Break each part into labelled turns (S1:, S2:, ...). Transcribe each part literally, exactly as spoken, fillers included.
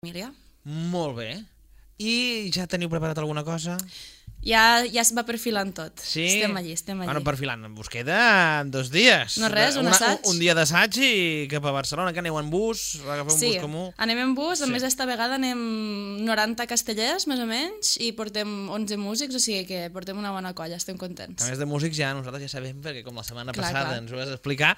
S1: família.
S2: Molt bé. I ja teniu preparat alguna cosa?
S1: Ja, ja es va perfilant tot.
S2: Sí?
S1: Estem allí, estem allí.
S2: Bueno, perfilant, us queda dos dies.
S1: No res, un
S2: Una,
S1: assaig.
S2: Un, un dia d'assaig i cap a Barcelona, que aneu en bus, agafeu un
S1: sí,
S2: bus comú.
S1: anem en bus, a
S2: Sí.
S1: més esta vegada anem noranta castellers, més o menys, i portem onze músics, o sigui que portem una bona colla, estem contents.
S2: A més de músics ja nosaltres ja sabem, perquè com la setmana
S1: Clar,
S2: passada
S1: clar.
S2: ens ho vas explicar.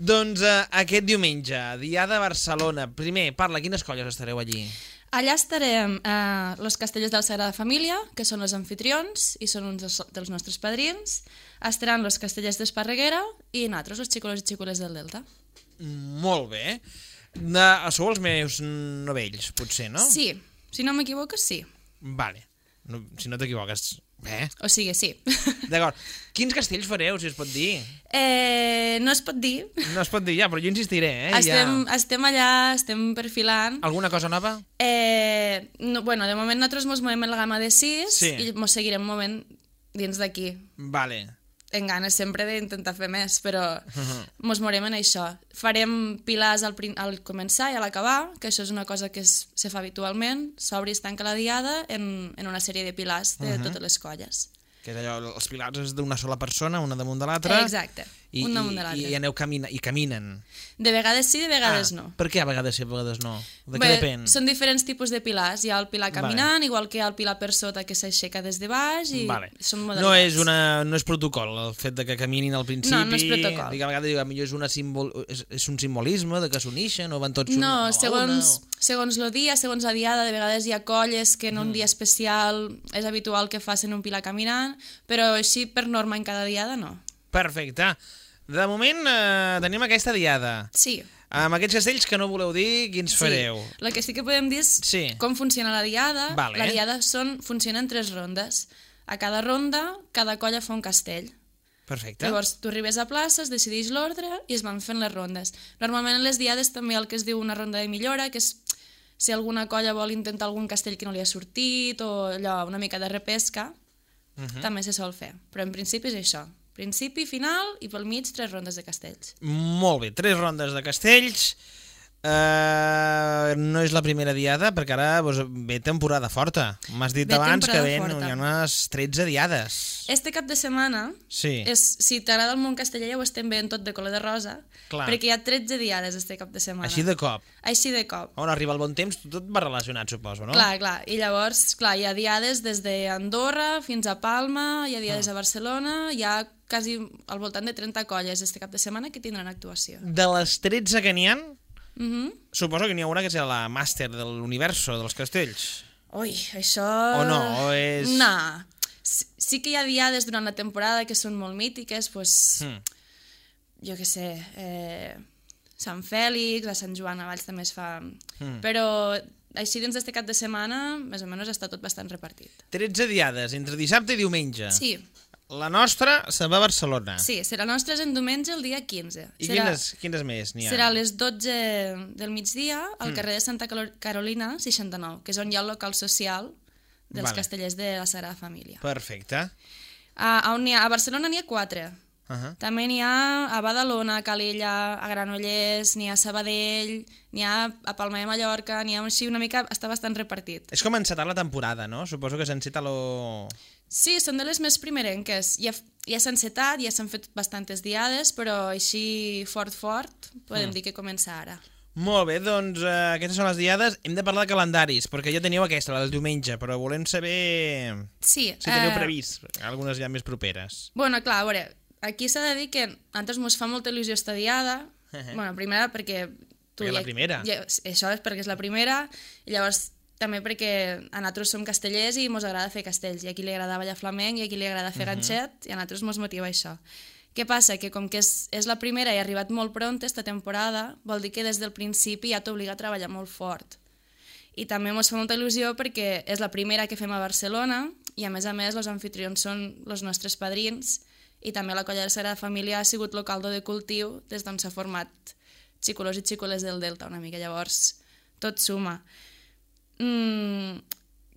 S2: Doncs eh, aquest diumenge, Diada a Barcelona. Primer, parla, quines colles estareu allí?
S1: Allà estarem eh, los castellers de la Sagrada Família, que són els anfitrions i són uns dels, dels nostres padrins. Estaran los castellers d'Esparreguera i nosaltres, els xicolos i xicoles del Delta.
S2: Molt bé. De, sou els meus novells, potser, no?
S1: Sí, si no m'equivoco, sí.
S2: Vale. No, si no t'equivoques. Bé.
S1: O sigui, sí.
S2: D'acord. Quins castells fareu, si es pot dir?
S1: Eh, no es pot dir.
S2: No es pot dir ja, però jo insistiré, eh?
S1: Estem,
S2: Ja.
S1: estem allà, estem perfilant.
S2: Alguna cosa nova?
S1: Eh, no, bueno, de moment nosaltres mos movem en la gamma de sis
S2: Sí.
S1: i mos seguirem movent dins d'aquí.
S2: Vale.
S1: En ganes sempre d'intentar fer més, però mos morem en això. Farem pilars al, prin- al començar i a l'acabar, que això és una cosa que es, se fa habitualment, s'obre i es tanca la diada en, en una sèrie de pilars de totes les colles.
S2: Que és allò, els pilars és d'una sola persona, una damunt de l'altra.
S1: Exacte,
S2: I,
S1: un damunt
S2: i-
S1: de l'altre.
S2: I aneu camina, i caminen.
S1: De vegades sí, de vegades
S2: ah,
S1: no.
S2: Per què a vegades sí, a vegades no? De què
S1: Bé,
S2: depèn?
S1: són diferents tipus de pilars. Hi ha el pilar caminant, vale. Igual que hi ha el pilar per sota que s'aixeca des de baix i
S2: Vale.
S1: són
S2: No
S1: modalitats.
S2: és, una, no és protocol el fet de que caminin al principi.
S1: No, no és protocol.
S2: Dic, a vegades diu, millor és, una simbol, és, és un simbolisme de que s'unixen o van tots
S1: No,
S2: a la
S1: segons,
S2: una, o...
S1: segons el dia, segons la diada, de vegades hi ha colles que en un mm. dia especial és habitual que facin un pilar caminant, però així per norma en cada diada no.
S2: Perfecte. De moment eh, tenim aquesta diada.
S1: Sí.
S2: Amb aquests castells que no voleu dir, quins fareu?
S1: Sí. El que sí que podem dir és
S2: Sí.
S1: com funciona la diada.
S2: Vale.
S1: La diada són, funciona en tres rondes. A cada ronda, cada colla fa un castell.
S2: Perfecte.
S1: Llavors, tu arribes a plaça, es decideix l'ordre i es van fent les rondes. Normalment en les diades també hi ha el que es diu una ronda de millora, que és si alguna colla vol intentar algun castell que no li ha sortit o allò, una mica de repesca, uh -huh. també se sol fer. Però en principi és això. Principi, final i pel mig tres rondes de castells.
S2: Molt bé, tres rondes de castells. Uh, no és la primera diada, perquè ara doncs, ve temporada forta. M'has dit
S1: Ve
S2: abans que
S1: temporada
S2: ven,
S1: forta.
S2: hi ha unes tretze diades.
S1: Este cap de setmana,
S2: Sí.
S1: és, si t'agrada el món casteller ja ho estem veient tot de color de rosa,
S2: Clar.
S1: perquè hi ha tretze diades este cap de setmana.
S2: Així de cop.
S1: Així de cop.
S2: On arriba el bon temps, tot va relacionat, suposo, no?
S1: Clar, clar. I llavors, clar, hi ha diades des d'Andorra fins a Palma, hi ha diades a Barcelona, hi ha quasi al voltant de trenta colles este cap de setmana que tindran actuació.
S2: De les tretze que n'hi ha,
S1: Uh -huh.
S2: suposo que n'hi ha una que serà la màster de l'universo dels castells.
S1: Ui, això...
S2: O no, o és...
S1: No. Sí, sí que hi ha diades durant la temporada que són molt mítiques, pues,
S2: Hmm.
S1: jo què sé, eh, Sant Fèlix, a Sant Joan a Valls també es fa...
S2: Hmm.
S1: Però així dins d'este cap de setmana, més o menys està tot bastant repartit.
S2: tretze diades, entre dissabte i diumenge.
S1: Sí,
S2: La nostra se va a Barcelona.
S1: sí, serà nostre en diumenge el dia quinze.
S2: I
S1: serà,
S2: quines, quines més n'hi ha?
S1: serà a les dotze del migdia al
S2: Mm.
S1: carrer de Santa Calo- Carolina seixanta-nou, que és on hi ha el local social dels
S2: Vale.
S1: castellers de la Sagrada Família.
S2: Perfecte.
S1: A, on ha, a Barcelona n'hi ha quatre.
S2: Uh -huh.
S1: També n'hi ha a Badalona, a Calella, a Granollers, n'hi ha a Sabadell, n'hi ha a Palma de Mallorca, n'hi ha així una mica, està bastant repartit.
S2: És com encetar la temporada, no? Suposo que s'enceta lo...
S1: Sí, són de les més primerenques. Ja, ja s'han encetat, ja s'han fet bastantes diades, però així fort, fort, podem
S2: Mm.
S1: dir que comença ara.
S2: Molt bé, doncs eh, aquestes són les diades. Hem de parlar de calendaris, perquè ja teniu aquesta, la del diumenge, però volem saber
S1: Sí.
S2: si teniu
S1: eh,
S2: previst algunes ja més properes.
S1: Bueno, clar, a veure, aquí s'ha de dir que a nosaltres mos fa molta il·lusió esta diada. Bueno, primera perquè...
S2: Perquè és la primera.
S1: Ja, això és perquè és la primera, i llavors també perquè a nosaltres som castellers i mos agrada fer castells, i a qui li agrada ballar flamenc i a qui li agrada fer uh -huh. ganxet, i a nosaltres mos motiva això. Què passa? Que com que és, és la primera i ha arribat molt pront esta temporada, vol dir que des del principi ja t'obliga a treballar molt fort. I també mos fa molta il·lusió perquè és la primera que fem a Barcelona i a més a més els anfitrions són els nostres padrins i també la colla de la Sagrada Família ha sigut el caldo de cultiu des d'on s'ha format xicolos i xicoles del Delta una mica, llavors tot suma. Mm,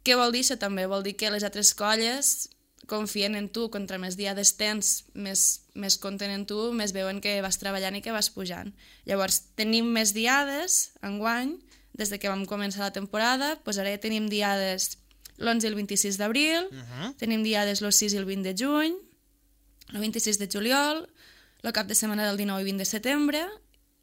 S1: què vol dir això també? Vol dir que les altres colles confien en tu, contra més diades tens, més, més compten en tu, més veuen que vas treballant i que vas pujant. Llavors, tenim més diades enguany des de que vam començar la temporada, doncs ara ja tenim diades l'onze i el vint-i-sis d'abril, uh -huh. tenim diades el sis i el vint de juny, el vint-i-sis de juliol, el cap de setmana del dinou i vint de setembre,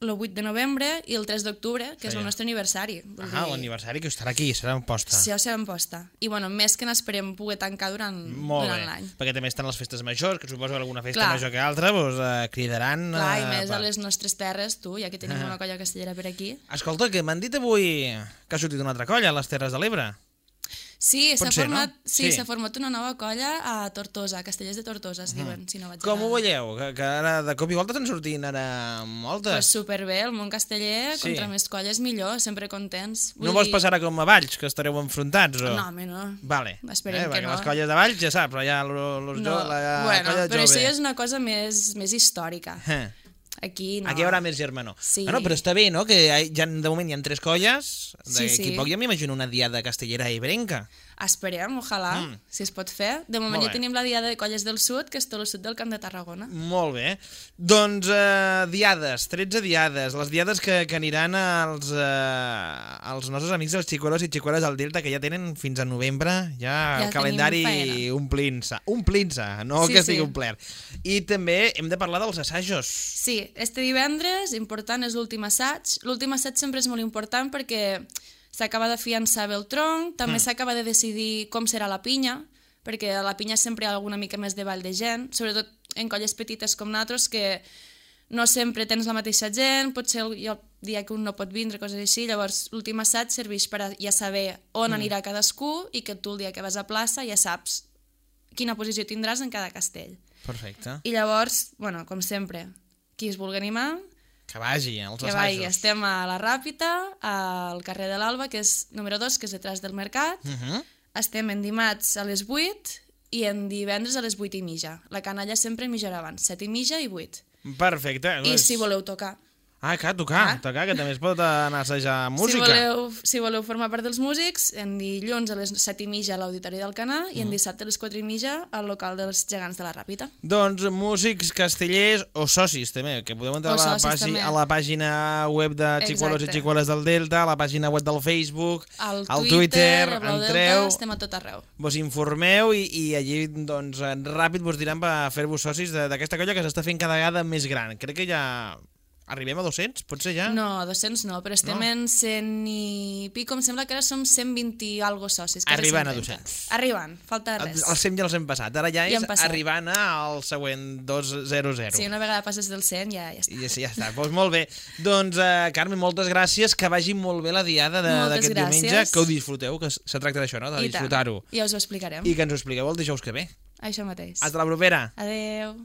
S1: el vuit de novembre i el tres d'octubre, que sí. és el nostre aniversari.
S2: Ah, dir... l'aniversari que estarà aquí, serà en posta.
S1: Sí, serà en posta. I bueno, més que n'esperem poder tancar durant, durant l'any.
S2: Perquè també estan les festes majors, que suposo que alguna festa Clar. major que altra doncs, eh, cridaran...
S1: Clar, i
S2: eh,
S1: més
S2: per...
S1: a les nostres terres, tu, ja que tenim
S2: ah.
S1: una colla castellera per aquí.
S2: Escolta, que m'han dit avui que ha sortit una altra colla a les Terres de l'Ebre.
S1: Sí, s'ha format,
S2: no?
S1: sí,
S2: sí.
S1: s'ha format una nova colla a Tortosa, a Castellers de Tortosa, es diuen, mm. si no vaig
S2: Com ho veieu? Que, que ara de cop i volta estan sortint ara moltes.
S1: Pues superbé, el món casteller,
S2: sí.
S1: contra més colles millor, sempre contents.
S2: Vull no vols dir... passar com a Valls, que estareu enfrontats? O...
S1: No, home, no.
S2: Vale.
S1: Esperem
S2: eh,
S1: que no.
S2: Les colles de Valls ja saps, però ja los
S1: no.
S2: jo, la
S1: bueno,
S2: colla
S1: però
S2: jove.
S1: això ja és una cosa més, més històrica.
S2: Eh.
S1: Aquí no.
S2: Aquí hi haurà més germanor.
S1: Sí.
S2: Ah, no, però està bé, no?, que ja, de moment hi ha tres colles.
S1: Sí,
S2: D'aquí
S1: sí.
S2: poc ja m'imagino una diada castellera ibrenca.
S1: Esperem, ojalà, mm. si es pot fer. De moment ja tenim la diada de colles del sud, que és tot el sud del Camp de Tarragona.
S2: Molt bé. Doncs eh, diades, tretze diades, les diades que, que aniran als, eh, als nostres amics dels xicuelos i xicueles del Delta, que ja tenen fins a novembre ja, ja el calendari omplint-se. Omplint-se, no sí, que estigui sí. omplert. I també hem de parlar dels assajos.
S1: Sí, este divendres, important, és l'últim assaig. L'últim assaig sempre és molt important perquè s'acaba de fiançar bé el tronc, també mm. s'acaba de decidir com serà la pinya, perquè a la pinya sempre hi ha alguna mica més de ball de gent, sobretot en colles petites com nosaltres, que no sempre tens la mateixa gent, potser el dia que un no pot vindre, coses així, llavors l'últim assaig serveix per a ja saber on mm. anirà cadascú i que tu el dia que vas a plaça ja saps quina posició tindràs en cada castell.
S2: Perfecte.
S1: I llavors, bueno, com sempre, qui es vulgui animar...
S2: Que vagi, als
S1: que
S2: assajos.
S1: vagi. Estem a la Ràpita, al carrer de l'Alba, que és número dos, que és detrás del mercat. Uh -huh. Estem en dimarts a les vuit i en divendres a les vuit i mitja. La canalla sempre mitja abans, set i mitja i vuit.
S2: Perfecte.
S1: I si voleu tocar.
S2: Ah, clar, tocar, ah. tocar, que també es pot anar a assajar música.
S1: Si voleu, si voleu formar part dels músics, en dilluns a les set i mitja a l'Auditori del Canà i en dissabte a les quatre i mitja al local dels gegants de la Ràpita.
S2: Doncs músics castellers o socis també, que podeu entrar a la, pàgina, a la pàgina web de Xicuelos i Xicueles del Delta, a la pàgina web del Facebook,
S1: al
S2: al
S1: Twitter,
S2: Twitter,
S1: al
S2: entreu,
S1: Delta, estem a tot arreu.
S2: Vos informeu i, i allí doncs, ràpid vos diran per fer-vos socis d'aquesta colla que s'està fent cada vegada més gran. Crec que ja... Arribem a dos-cents, potser ja?
S1: No, a dos-cents no, però estem no. en cent i pico, em sembla que ara som cent vint i algo socis.
S2: Arribant a dos-cents.
S1: Arribant, falta res.
S2: Els cent ja els hem passat, ara ja és arribant al següent dos zero zero.
S1: Sí, una vegada passes del cent ja, ja està.
S2: I ja està, doncs molt bé. Doncs, uh, Carme, moltes gràcies, que vagi molt bé la diada d'aquest diumenge, que ho disfruteu, que se tracta d'això, no?, de disfrutar-ho.
S1: Ja us ho explicarem.
S2: I que ens ho expliqueu el dijous que ve.
S1: Això mateix.
S2: Hasta la propera.
S1: Adeu.